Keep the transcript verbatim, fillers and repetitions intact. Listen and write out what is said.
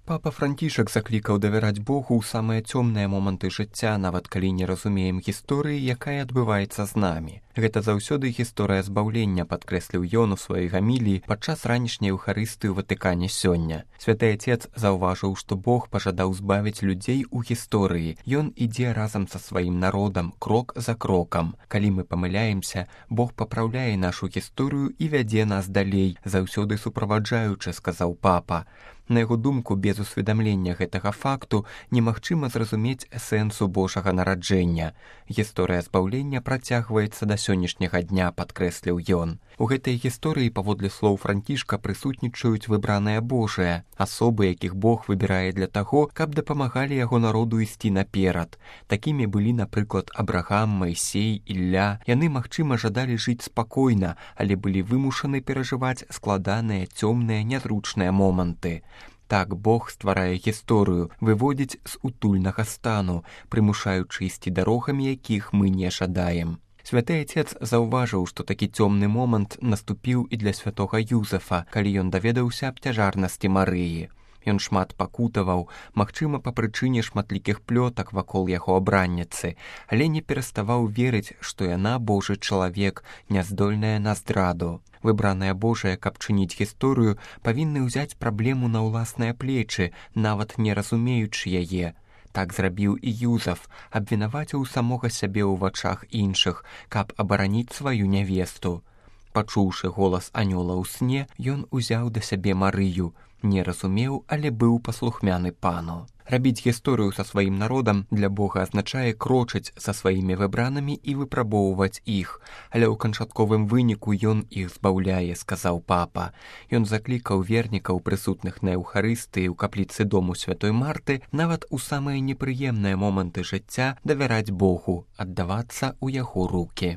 Папа Францішак заклікаў давяраць Богу ў самыя цёмныя моманты жыцця, нават калі не разумеем гісторыі, якая адбываецца з намі. Гэта заўсёды гісторыя збаўлення, падкрэсліў ён у сваёй гаміліі падчас ранішняй эўхарыстыі ў Ватыкане сёння. Святы Отец заўважыў, што Бог пажадаў збавіць людзей у гісторыі. Ён ідзе разам са сваім народам, крок за крокам. Калі мы памыляемся, Бог папраўляе нашу гісторыю і вядзе нас далей, заўсёды суправаджаючы, сказаў папа. На яго думку, без усведамлення гэтага факту немагчыма зразумець сэнсу Божага нараджэння. Гісторыя збаўлення працягваецца да сённяшняга дня, падкрэсліў ён. У гэтай гісторыі, паводле слоў Францішка, прысутнічаюць выбраныя Божыя, асобы, якіх Бог выбірае для таго, каб дапамагалі яго народу ісці наперад. Такімі былі, напрыклад, Абрагам, Майсей, Ілля. Яны, магчыма, жадалі жыць спакойна, але былі вымушаны перажываць складаныя, цёмныя, нязручныя моманты. Так Бог стварае гісторыю, выводзіць з утульнага стану, прымушаючы ісці дарогамі, якіх мы не жадаем. Святы Отец заўважыў, што такі цёмны момант наступіў і для святога Юзефа, калі ён даведаўся аб цяжарнасці Марыі. Ён шмат пакутаваў, магчыма, па прычыне шматлікіх плётак вакол яго абранніцы, але не пераставаў верыць, што яна Божы чалавек, няздольная на здраду. Выбраная Божая, каб чыніць гісторыю, павінны ўзяць праблему на ўласныя плечы, нават не разумеючы яе. Так зрабіў і Юзеф, абвінаваціў самога сябе ў вачах іншых, каб абараніць сваю нявесту. Пачуўшы голас анёла ў сне, ён узяў да сябе Марыю, не разумеў, але быў паслухмяны пану. Рабіць гісторыю са сваім народам для Бога азначае крочыць са сваімі выбранымі і выпрабоўваць іх, але ў канчатковым выніку ён іх збаўляе, сказаў папа. Ён заклікаў вернікаў, прысутных на эўхарыстыі ў капліцы дому святой Марты, нават у самыя непрыемныя моманты жыцця давяраць Богу, аддавацца ў яго рукі.